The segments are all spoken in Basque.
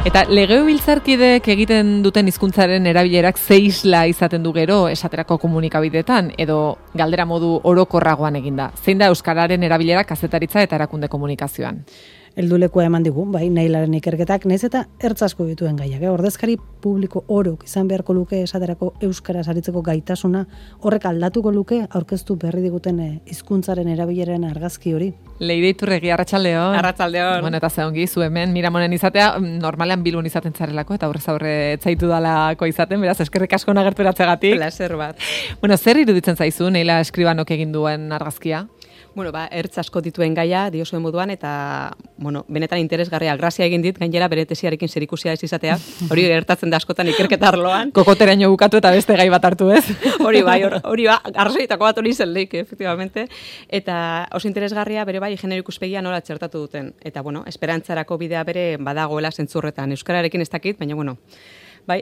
Eta legebiltzarkideek egiten duten hizkuntzaren erabilerak ze isla izaten du gero esaterako komunikabideetan edo galdera modu orokorragoan eginda. Zein da euskararen erabilera kazetaritza eta erakunde komunikazioan? Heldulekua eman digu, bai, Nailaren ikerketak, naiz eta ertz asko dituen gaiak. Ordezkari publiko orok izan beharko luke esaterako euskaraz aritzeko gaitasuna, horrek aldatuko luke aurkeztu berri diguten hizkuntzaren erabileren argazki hori. Leire Iturregi, arratsaldeon. Arratsaldeon. Bueno, eta ze ongi zu hemen Miramonen izatea, normalean Bilbon izaten zarelako eta aurrez aurre etzaitu dalako izaten, beraz eskerrik asko nagerturatzegatik. Placer bat. Bueno, zer iruditzen zaizu Neila Escribanok egin duen argazkia? Bueno, ertz asko dituen gaia diozuen moduan eta, bueno, benetan interesgarria grazia egin dit, gainera bere tesiarekin zerikusia ez izatea. Hori gertatzen da askotan ikerketa arloan. Kokoteraino bukatu eta beste gai bat hartu, ez? Hori ba, arrazoitako bat hori zen leik, efectivamente. Eta oso interesgarria bere bai genero ikuspegia nola txertatu duten. Eta, bueno, esperantzarako bidea bere badagoela zentzurretan. Euskararekin ez dakit, baina, bueno, bai,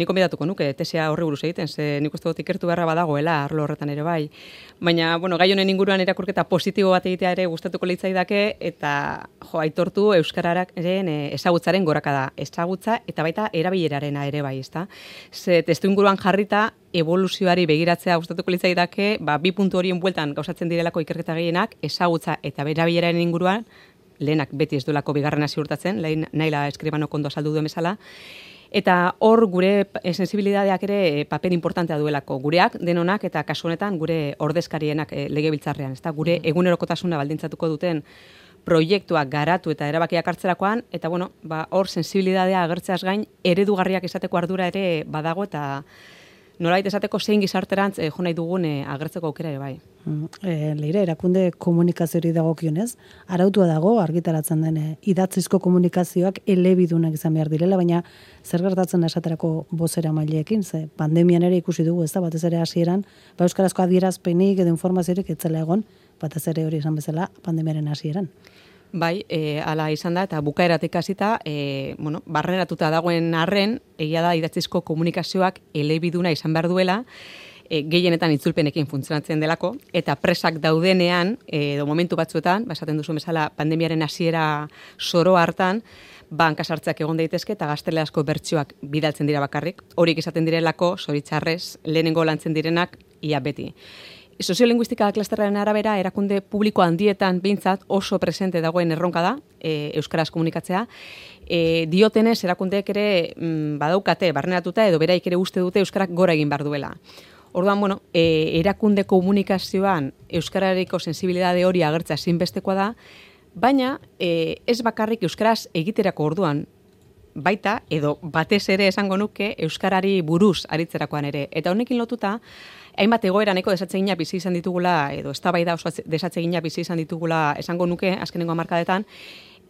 nik konbidatuko nuke tesia horri buruz egiten, ze nik uste dut ikertu beharra badagoela arlo horretan ere bai. Baina, bueno, gai honen inguruan irakurketa positibo bat egitea ere gustatuko litzaidake eta aitortu euskararen ezagutzaren gorakada, ezagutza eta baita erabilerarena ere bai, ezta? Ze testu inguruan jarrita evoluzioari begiratzea gustatuko litzaidake, bi puntu horien bueltan gauzatzen direlako ikerketa gehienak, ezagutza eta erabileraren inguruan, lehenak beti ez duelako bigarrena ziurtatzen, Naila Escribanok ondo azaldu duen bezala. Eta hor gure sensibilidadeak ere paper importantea duelako. Gureak, denonak eta kasu honetan gure ordezkarienak legebiltzarrean, ezta? Gure egunerokotasuna baldintzatuko duten proiektuak garatu eta erabakiak hartzerakoan, eta bueno, hor sensibilidadea agertzeaz gain eredugarriak izateko ardura ere badago eta nolabait esateko zein gizarterantz jo nahi dugun agertzeko aukera ere bai. Leire, erakunde komunikazioari dagokionez, arautua dago argitaratzen den idatzizko komunikazioak elebidunak izan behar direla, baina zer gertatzen da esaterako bozera maileekin, ze pandemian ere ikusi dugu, ez da, batez ere hasieran, euskarazko adierazpenik edo informaziorik etzela egon, batez ere hori izan bezala pandemiaren hasieran. Bai, hala izan da, eta bukaeratik hasita, bueno, barneratuta dagoen arren, egia da idatzizko komunikazioak elebiduna izan behar duela, gehienetan itzulpenekin funtzionatzen delako, eta presak daudenean, edo momentu batzuetan, esaten duzu bezala pandemiaren hasiera zoro hartan, hankasartzeak egon daitezke eta gaztelerazko bertsioak bidaltzen dira bakarrik. Horiek izaten direlako, zoritxarrez, lehenengo lantzen direnak, ia beti. Soziolinguistika klasterraren arabera, erakunde publiko handietan behintzat oso presente dagoen erronka da, euskaraz komunikatzea. Diotenez, erakundeek ere badaukate, barneratuta edo beraik ere uste dute euskarak gora egin behar duela. Orduan, bueno, erakunde komunikazioan euskarareko sensibilidade hori agertzea ezinbestekoa da, baina ez bakarrik euskaraz egiterako orduan, baita, edo batez ere esango nuke, euskarari buruz aritzerakoan ere. Eta honekin lotuta, hainbat egoera nahiko desatsegina bizi izan ditugula, edo eztabaida oso desatsegina bizi izan ditugula esango nuke azkenengo hamarkadetan,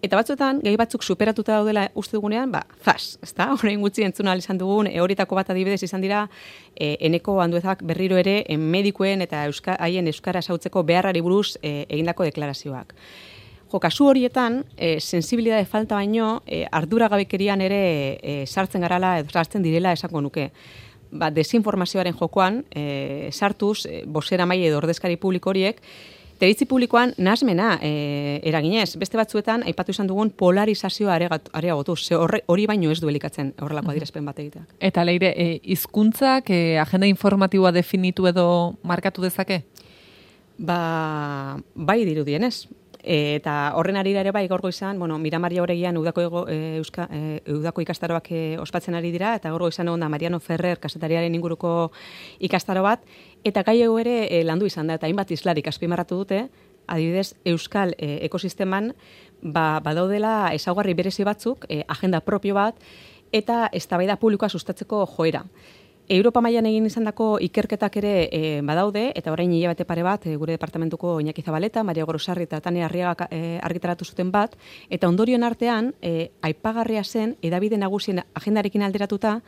eta batzuetan, gai batzuk superatuta daudela uste dugunean, zas, ezta? Orain gutxi entzun ahal izan dugun, horietako bat adibidez izan dira, Eneko Anduezak berriro ere medikuen eta haien euskara ezagutzeko beharrari buruz egindako deklarazioak. Kasu horietan, sensibilidade falta baino, arduragabekerian ere sartzen garala edo sartzen direla esango nuke. Desinformazioaren jokoan, sartuz, bozera maile edo ordezkari publiko horiek, teritzi publikoan nahasmena eraginez. Beste batzuetan, aipatu izan dugun polarizazioa areagotuz. Hori baino ez du elikatzen horrelako adierazpen bat egiteak. Eta Leire, hizkuntzak agenda informatiboa definitu edo markatu dezake? Bai dirudienez. Eta horren arira ere bai gaur goizan, bueno, Miramaria Oregian udako ikastaroak ospatzen ari dira, eta gaur goizan egon da Mariano Ferrer kazetariaren inguruko ikastaro bat, eta gai ere landu izan da, eta hainbat islarik azpimarratu dute, adibidez, euskal ekosisteman badaudela ezaugarri berezi batzuk, agenda propio bat, eta eztabaida publikoa sustatzeko joera. Europa mailan egin izandako ikerketak ere badaude, eta orain hilabete pare bat, gure departamentuko Iñaki Zabaleta, Maria Gorosarri eta Tania Arriaga argitaratu zuten bat, eta ondorioen artean, aipagarria zen, hedabide nagusien agendarekin alderatuta,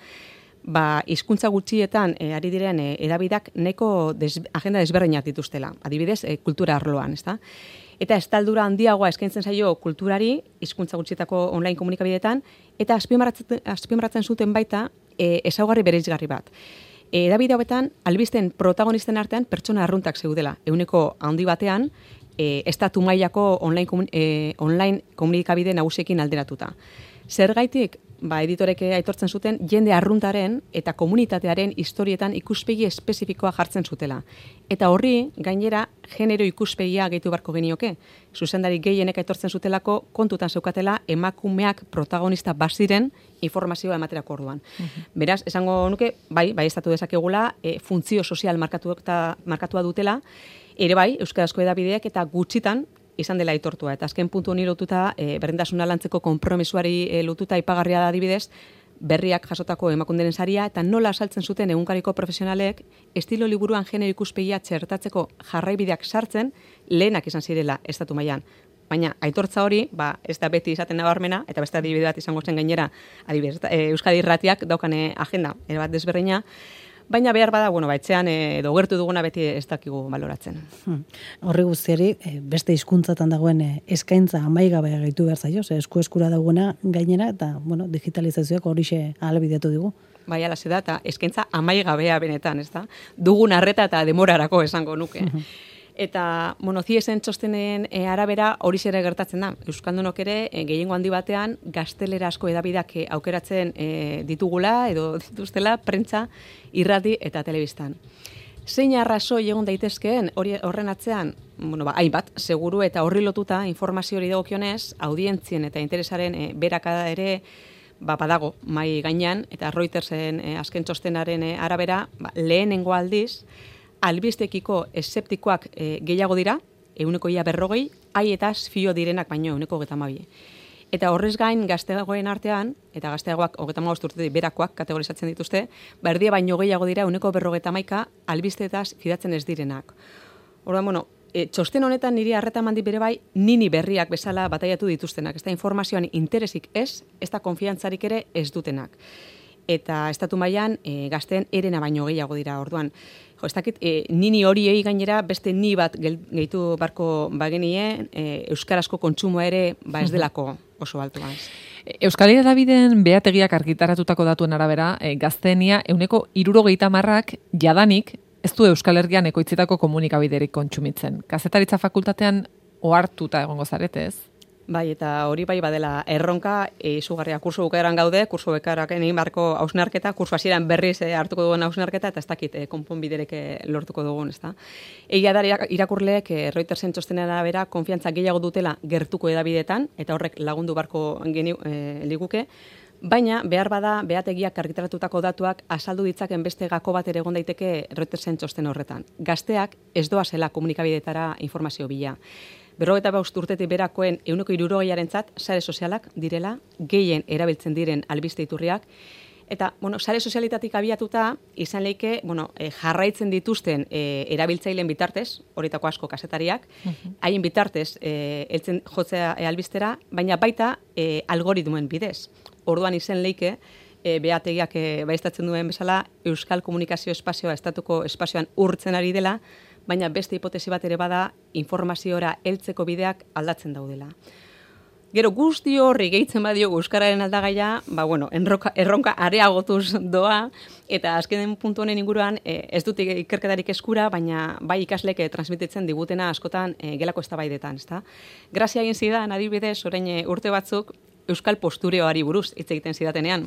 hizkuntza gutxietan ari diren hedabideak nahiko agenda desberdinak dituztela, adibidez, kultura arloan, ezta? Eta estaldura handiagoa eskaintzen zaio kulturari, hizkuntza gutxietako online komunikabideetan, eta azpimarratzen zuten baita ezaugarri bereizgarri bat. Hedabide hauetan, albisten protagonisten artean pertsona arruntak zeudela. Ehuneko handi batean, estatu mailako online komunikabide nagusiekin alderatuta. Zergaitik, editorek aitortzen zuten, jende arruntaren eta komunitatearen historietan ikuspegi espezifikoa jartzen zutela. Eta horri, gainera, genero ikuspegia gehitu barko genioke. Zuzendari gehienek aitortzen zutelako kontutan zeukatela emakumeak protagonista baziren informazioa ematerako orduan. Beraz, esango nuke, bai estatu dezakegula, funtzio sozial markatua dutela, ere bai, euskarazko edabideak eta gutxitan, izan dela aitortua. Eta azken puntu honi lotuta, berdintasuna lantzeko konpromesuari lotuta ipagarria da adibidez, berriak jasotako emakunderen saria, eta nola asaltzen zuten egunkariko profesionalek, estilo liburuan genero ikuspegia txertatzeko jarraibideak sartzen, lehenak izan zirela estatu mailan. Baina aitortza hori, ez da beti izaten nabarmena, eta beste adibide bat izango zen gainera, adibidez, Euskadi Irratiak daukane agenda, bat desberdina, baina behar bada, etxean edo gertu duguna beti ez dakigu baloratzen. Horri guztiari, beste hizkuntzatan dagoen eskaintza amaigabea gaitu behar zaio, eskura dagoena gainera, eta digitalizazioak horixe ahalbidetu digu. Bai, alaze da, eta eskaintza amaigabea benetan, ez da? Dugun arreta eta demorarako esango nuke. Eta, Ciesen txostenen arabera hori ere gertatzen da. Euskaldunok ere, gehiengo handi batean, gaztelerazko edabideak aukeratzen ditugula, edo dituztela, prentza, irrati eta telebistan. Zein arrazoi egon daitezkeen horren atzean? Hainbat, seguru eta horri lotuta informazio hori dagokionez, audientzien eta interesaren berakada ere badago mai gainean, eta Reutersen azken txostenaren arabera, lehenengo aldiz, albistekiko eszeptikoak gehiago dira, 40%, haietaz fio direnak baino 32%. Eta horrez gain gazteagoen artean, eta gazteagoak 35 urtetik berakoak kategorizatzen dituzte, erdia baino gehiago dira 41% albisteetaz fidatzen ez direnak. Orduan, txosten honetan niri arreta mandi bere bai, nini berriak bezala bataiatu dituztenak. Ez da informazioan interesik ez da konfiantzarik ere ez dutenak. Eta estatu mailan gazteen erena baino gehiago dira. Orduan, ez dakit, nini horiei gainera beste ni bat gehitu barko bagenien, euskarazko kontsumoa ere ez delako oso altu gaz. Euskal Hedabideen behategiak argitaratutako datuen arabera, gazteenia 70% jadanik ez du Euskal Herrian ekoitzitako komunikabiderik kontsumitzen. Kazetaritza fakultatean ohartuta egongo zarete, ez? Bai, eta hori bai badela erronka, izugarria kurso bukaeran gaude, kurso bukaerak egin barko hausnarketa, kurso hasieran berriz hartuko dugun hausnarketa, eta ez dakit konponbiderek lortuko dugun, ez da. Egia da irakurleek Reutersen txostenean arabera konfiantza gehiago dutela gertuko edabideetan, eta horrek lagundu barko liguke, baina behar bada behategiak argitaratutako datuak azaldu ditzaken beste gako bat ere egon daiteke Reutersen txosten horretan. Gazteak ez doazela komunikabideetara informazio bila. 55 urtetik berakoen 60%-arentzat sare sozialak direla, gehien erabiltzen diren albiste iturriak, eta, sare sozialitatik abiatuta, izan leike, jarraitzen dituzten erabiltzaileen bitartez, horitako asko kazetariak, haien bitartez heltzen jotzea albistera, baina baita algoritmoen bidez. Orduan izen leike, behategiak baiestatzen duen bezala, Euskal Komunikazio Espazioa estatuko espazioan urtzen ari dela, baina beste hipotesi bat ere bada informaziora heltzeko bideak aldatzen daudela. Gero guzti horri gehitzen badiogu euskararen aldagaia, erronka areagotuz doa, eta azkenen puntu honen inguruan ez dut ikerketarik eskura, baina bai ikaslek transmititzen digutena askotan gelako eztabaidetan, ezta? Grazia egin zidan, adibidez, orain urte batzuk euskal postureoari buruz hitz egiten zidatenean.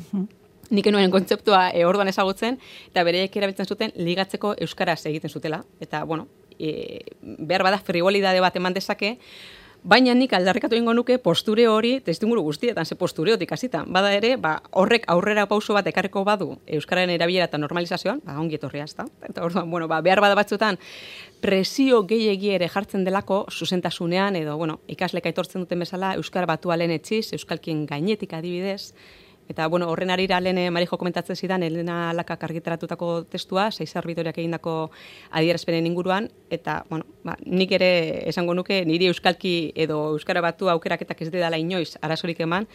Nik enuen kontzeptua orduan ezagutzen, eta bereiek erabiltzen zuten ligatzeko euskaraz egiten zutela. Eta, behar bada frivolidade bat eman dezake, baina nik aldarrikatu ingo nuke posture hori testimuru guztietan, ze postureotik hasita. Bada ere, horrek aurrera pauso bat ekarriko badu euskararen erabilera eta normalizazioan, ongi etorria, ezta? Eta orduan, behar bada batzuetan presio gehiegi ere jartzen delako zuzentasunean, edo, ikaslek aitortzen duten bezala, euskara batualen etxiz, euskalkien gainetik adibidez. Eta, horren arira lehen Marijo komentatzen zidan, Elena Lakak argitaratutako testua, 6 arbitoriak egindako adierazpenen inguruan, eta, nik ere esango nuke, niri euskalki edo euskara batu aukeraketak ez dela inoiz arazorik eman,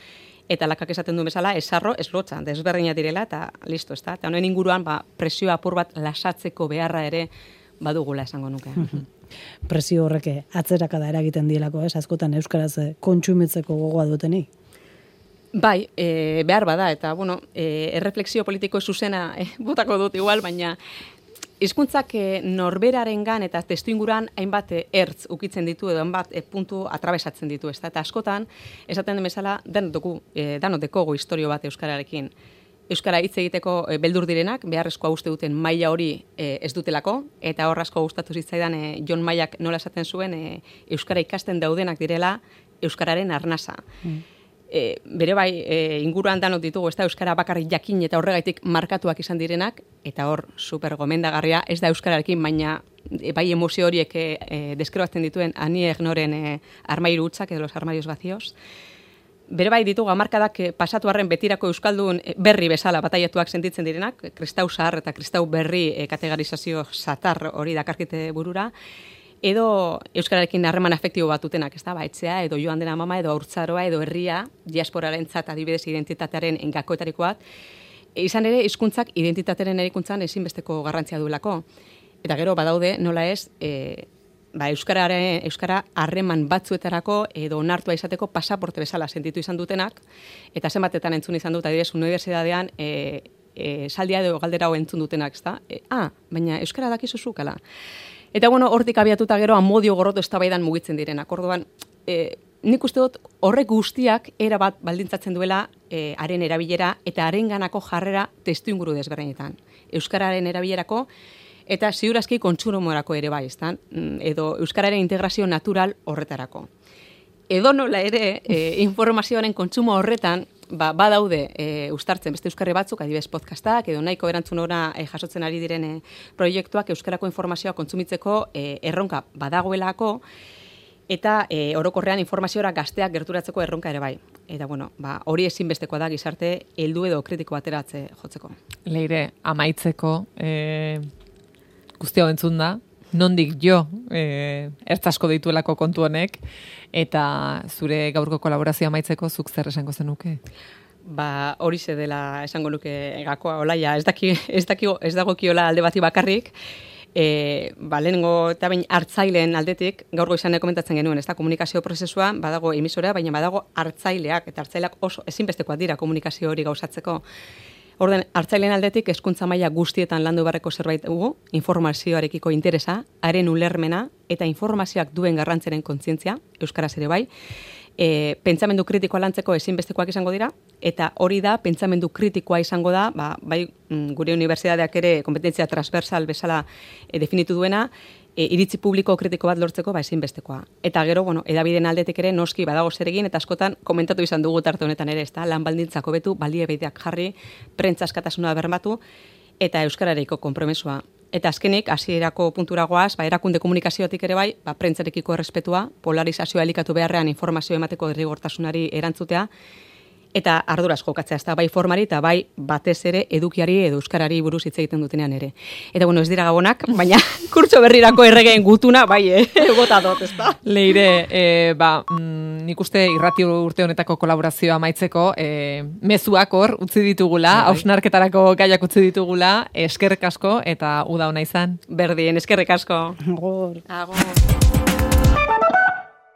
eta Lakak esaten duen bezala, esarro, ez lotza, desberdina direla, eta listo, ez da? Eta honen inguruan, presio apur bat lasatzeko beharra ere badugula esango nuke. Presio horreke atzerakada eragiten dielako, askotan euskaraz kontsumitzeko gogoa duteni. Bai, behar bada, eta, erreflexio politiko zuzena botako dut igual, baina hizkuntzak norberarengan eta testuinguruan hainbat ertz ukitzen ditu edo hainbat puntu atrabesatzen ditu, ezta? Eta askotan esaten den bezala danok dekogu istorio bat euskararekin. Euskara hitz egiteko beldur direnak, beharrezkoa uste duten maila hori ez dutelako, eta hor asko gustatu zitzaidan Jon Mailak nola esaten zuen euskara ikasten daudenak direla euskararen arnasa. Bere bai, inguruan danok ditugu, ez da euskara bakarrik jakin eta horregaitik markatuak izan direnak, eta hor super gomendagarria, ez da euskararekin, baina bai emozio horiek deskribatzen dituen Annie Ernauxren armairu hutsak edo los armarios vacíos. Bere bai ditugu hamarkadak pasatu arren betirako euskaldun berri bezala bataiatuak sentitzen direnak, kristau zahar eta kristau berri kategorizazio satar hori dakarkite burura, edo euskararekin harreman afektibo bat dutenak, ez da, etxea, edo joan dena mama, edo haurtzaroa, edo herria, diasporarentzat adibidez identitatearen gakoetariko bat, izan ere hizkuntzak identitatearen erikuntzan ezinbesteko garrantzia duelako. Eta gero badaude, nola ez, euskara harreman batzuetarako edo onartua izateko pasaporte bezala sentitu izan dutenak, eta zenbatetan entzun izan dut, adibidez, unibertsitatean saldia edo galdera hau entzun dutenak, ez da? Baina euskara dakizu zukala. Eta bueno, hortik abiatuta gero amodio gorroto eztabaidan mugitzen direnak. Orduan, nik uste dut horrek guztiak era bat baldintzatzen duela haren erabilera eta harenganako jarrera testuinguru desberdinetan. Euskararen erabilerako eta ziurazki kontsumorako ere bai, ezta? Edo euskararen integrazio natural horretarako. Edo nola ere, informazioaren kontsumo horretan, badaude uztartzen beste euskarri batzuk, adibidez podcastak, edo nahiko erantzun ora jasotzen ari diren proiektuak euskarako informazioa kontsumitzeko erronka badagoelako, eta orokorrean informaziora gazteak gerturatzeko erronka ere bai. Eta bueno, hori ezinbestekoa da gizarte heldu edo kritiko bateratze jotzeko. Leire, amaitzeko, guztia entzun da, nondik jo ertzasko dituelako kontu honek, eta zure gaurko kolaborazioa amaitzeko zuk zer esango zenuke? Horixe dela esango nuke gakoa, olaia, ez dagokiola alde bati bakarrik, lehenengo eta bain hartzaileen aldetik, gaur goizan komentatzen genuen, ez da, komunikazio prozesua, badago emisorea, baina badago hartzaileak, eta hartzaileak oso ezinbestekoak dira komunikazio hori gauzatzeko. Orden, hartzaileen aldetik hezkuntza maila guztietan landu beharreko zerbait dugu, informazioarekiko interesa, haren ulermena eta informazioak duen garrantzaren kontzientzia, euskaraz ere bai, pentsamendu kritikoa lantzeko ezinbestekoak izango dira, eta hori da, pentsamendu kritikoa izango da, bai gure unibertsitateak ere kompetentzia transversal bezala definitu duena, iritzi publiko kritiko bat lortzeko ezinbestekoa. Eta gero, edabideen aldetik ere noski badago zer egin, eta askotan komentatu izan dugu tarte honetan ere, ezta, lan baldintzak hobetu, baliabideak jarri, prentza askatasuna bermatu, eta euskararekiko konpromesua. Eta azkenik, hasierako puntura goaz, erakunde komunikaziotik ere bai, prentzarekiko errespetua, polarizazioa elikatu beharrean informazio emateko derrigortasunari erantzutea, eta arduraz jokatzea, ez da, bai formari eta bai batez ere edukiari edo euskarari buruz hitz egiten dutenean ere. Eta ez dira gabonak, baina kurtso berrirako erregeen gutuna, bai, gota dut, ez da. Leire, nik uste irrati urte honetako kolaborazioa amaitzeko, mezuak hor utzi ditugula, hausnarketarako gaiak utzi ditugula, eskerrik asko eta uda ona izan. Berdin, eskerrik asko. Agor. Agor.